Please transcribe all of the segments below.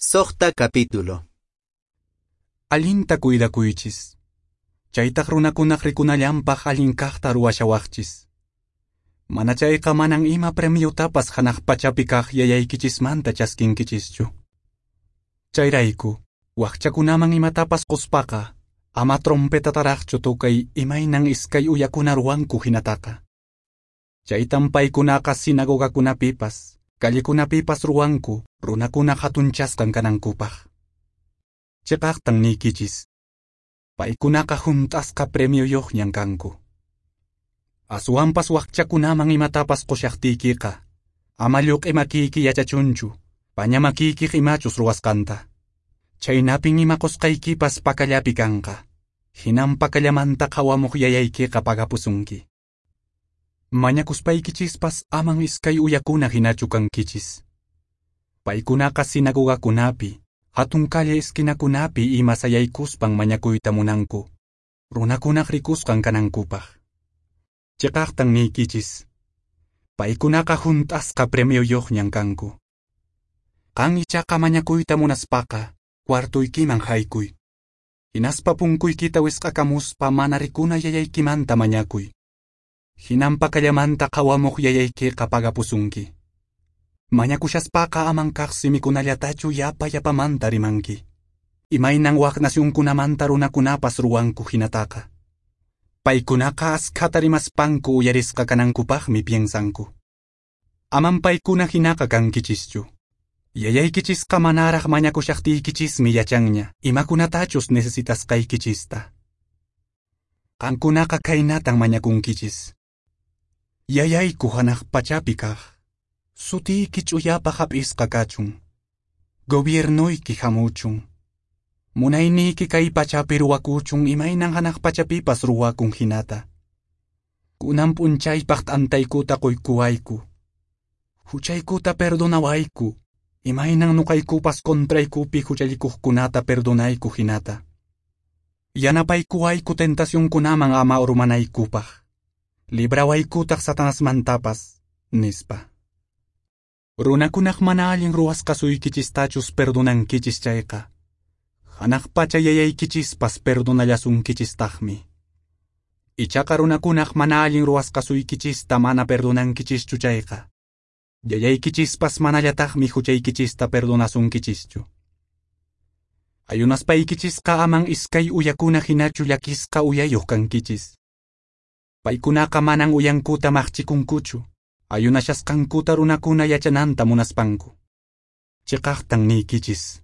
Soqta capítulo. Allinta cuidakuychis. Chaytaq runakunaq rikunallanpaq allin kaqta ruwashawaqchis. Mana chayqa manan ima premiotapas hanaq pachapi kaq yayaykichismanta chaskinkichischu. Chayrayku, wakchakunaman imatapas quspaqa, ama trompetataraqchu tukay imaynan iskay uyakuna ruwanku hinataqa. Chaytan paykunaqa sinagogakunapipas, callekunapipas ruwanku, runakuna hatunchasqan kanankupaq. Chiqaqtan niykichis. Paykunaqa hunt'asqa premioyuqñan kanku. Aswanpas wakchakunaman imatapas qushaqtiykiqa, ama lluq'i makiyki yachachunchu, paña makiykiq imachus ruwasqanta. Chaynapin ima qusqaykipas pakallapi kanqa. Hinan pakallamanta qhawamuq yayaykiqa pagapusunki. Mañakuspaykichispas aman iskay uyakuna hinachu kankichis. Paykunaqa sinagogakunapi, hatun calle esquinakunapi ima sayaykuspan mañakuyta munanku, runakunaq rikusqan kanankupaq. Chiqaqtan niykichis. Paykunaqa hunt'asqa premioyuqñan kanku. Qan ichaqa mañakuyta munaspaqa, cuartuykiman haykuy. Hinaspa punkuykita wisq'akamuspa mana rikuna yayaykimanta mañakuy. Hinan pakallamanta qhawamuq yayaykiqa pagapusunki. Mañakushaspaqa aman kaq simikunallatachu yapa yapamanta rimanki. Imaynan wak nacionkunamanta runakunapas ruwanku hinataqa. Paykunaqa askhata rimaspanku uyarisqa kanankupaqmi piensanku. Aman paykuna hinaqa kankichischu. Yayaykichisqa manaraq mañakushaqtiykichismi yachanña imakunatachus necesitasqaykichista. Qankunaqa khaynatan mañakunkichis. Yayayku hanaq pachapi kaq, sutiyki ch'uyapaq hap'isqa kachun. Gobiernoyki hamuchun. Munayniyki kay pachapi ruwakuchun imaynan hanaq pachapipas ruwakun hinata. Kunan p'unchaypaq t'antaykuta quykuwayku. Huchaykuta perdonawayku, imaynan nuqaykupas contraykupi huchallikuqkunata perdonayku hinata. Yanapaykuwayku tentacionkunaman ama urmanaykupaq. Librawaykutaq Satanasmantapas, nispa. Runakunaq mana allin ruwasqasuykichistachus perdonankichis chayqa, hanaq pacha yayaykichispas perdonallasunkichistaqmi. Ichaqa runakunaq mana allin ruwasqasuykichista mana perdonankichischu chayqa, yayaykichispas manallataqmi huchaykichista perdonasunkichischu. Ayunaspaykichisqa aman iskay uyakuna hinachu llakisqa uyayuq kankichis. Paykunaqa manan uyankuta maqchikunkuchu, ayunashasqankuta runakuna yachananta munaspanku. Chiqaqtan niykichis.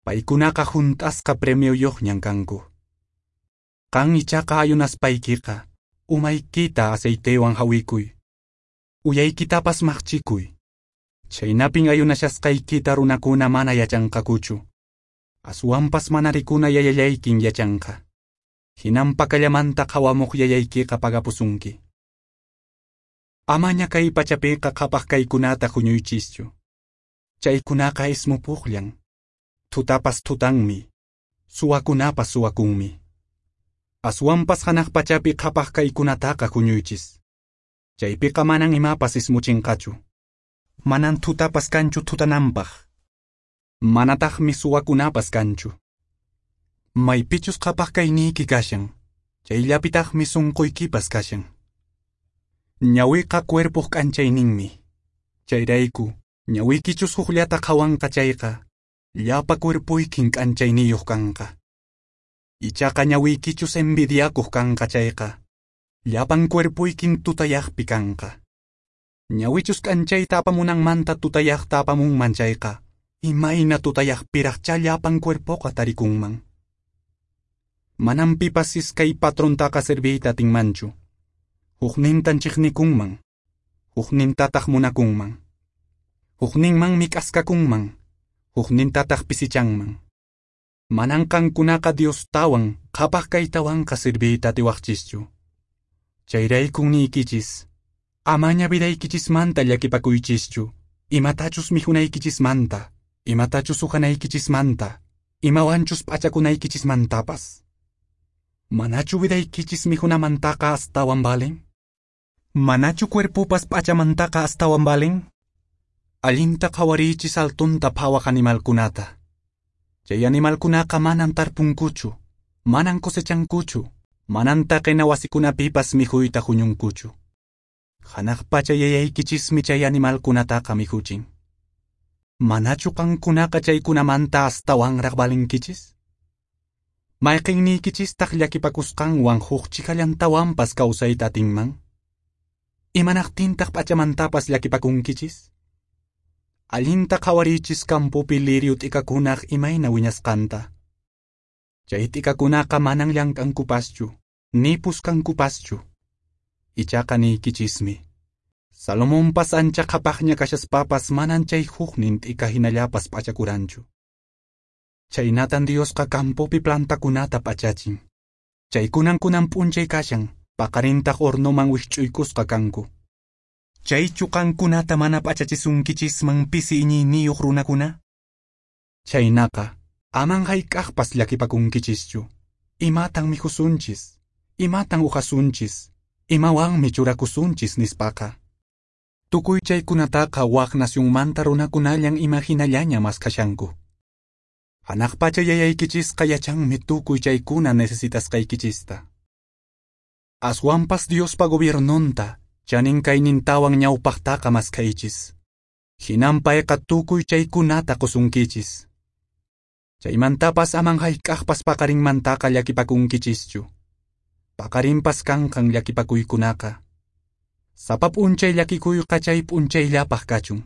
Paykunaqa hunt'asqa premioyuqñan kanku. Qan ichaqa ayunaspaykiqa, umaykita aceitewan hawikuy. Uyaykitapas maqchikuy. Chaynapin ayunashasqaykita runakuna mana yachanqakuchu. Aswanpas mana rikuna yayallaykin yachanqa. Hinan pakallamanta qhawamuq yayaykiqa pagapusunki. Amaña kay pachapiqa qhapaq kaykunata huñuychischu. Chaykunaqa ismupuqllan. Tutapas tutanmi, suwakunapas suwakunmi. Aswanpas hanaq pachapi qhapaq kaykunataqa huñuychis. Chaypiqa manan imapas ismuchinqachu. Manan tutapas kanchu tutananpaq. Manataqmi suwakunapas kanchu. Maypichus qhapaq kayniyki kashan, chayllapitaqmi sunquykipas kashan. Ñawiqa cuerpoq k'anchayninmi. Chayrayku, ñawiykichus hukllata qhawanqa chayqa, llapa cuerpoykin k'anchayniyuq kanqa. Ichaqa ñawiykichus envidiakuq kanqa chayqa, llapan cuerpoykin tutayaqpi kanqa. Ñawichus k'anchayta apamunanmanta tutayaqta apamunman chayqa, imayna tutayaqpiraqchá llapan cuerpoqa tarikunman. Manan pipas iskay patrontaqa serviyta atinmanchu. Huknintan chiqnikunman, huknintataq munakunman. Hukninmanmi k'askakunman, huknintataq pisichanman. Manan qankunaqa Diostawan qhapaq kaytawanqa serviyta atiwaqchischu. Chayraykun niykichis, amaña vidaykichismanta llakipakuychischu, imatachus mikhunaykichismanta, imatachus uhanaykichismanta, imawanchus p'achakunaykichismantapas. Manachu vidaykichis mikhunamantaqa astawan valen? Manachu cuerpopas p'achamantaqa astawan valen? Allinta qhawariychis altunta phawaq animalkunata. Chay animalkunaqa manan tarpunkuchu, manan cosechankuchu, manan taqena wasikunapipas mikhuyta huñunkuchu. Hanaq pacha yayaykichismi chay animalkunataqa mikhuchin. Manachu qankunaqa chaykunamanta astawanraq valinkichis? Mayqinniykichistaj llakipakusqanwan huk chikallantawanpas kawsayta atinman? Imanaqtintaq p'achamantapas llakipakunkichis? Allinta qhawariychis campopi lirio t'ikakunaq imayna wiñasqanta. Chay t'ikakunaqa manan llank'ankupaschu, ni puskankupaschu. Ichaqa niykichismi, Salomonpas ancha qhapaqña kashaspapas manan chay huknin t'ika hinallapas p'achakuranchu. Chaynatan Diosqa campopi plantakunata p'achachin. Chaykunan kunan p'unchay kashan, paqarintaq hornoman wikch'uykusqa kanku. Chaychu qankunata mana p'achachisunkichisman pisi iñiyniyuq runakuna? Chaynaqa, aman hayk'aqpas llakipakunkichischu. Imatan mikhusunchis? Imatan uhasunchis? Imawanmi churakusunchis nispaqa? Tukuy chaykunataqa wak nacionmanta runakunallan imahinallaña maskhashanku. Hanaq pacha yayaykichisqa yachanmi tukuy chaykuna necesitasqaykichista. Aswanpas Diospa gobiernonta, chanin kaynintawan ñawpaqtaqa maskhaychis. Hinan payqa tukuy chaykunata qusunkichis. Chaymantapas aman hayk'aqpas paqarinmantaqa llakipakunkichischu. Paqarinpas kanqan llakipakuykunaqa. Sapa p'unchay llakikuyqa chay p'unchayllapaq kachun.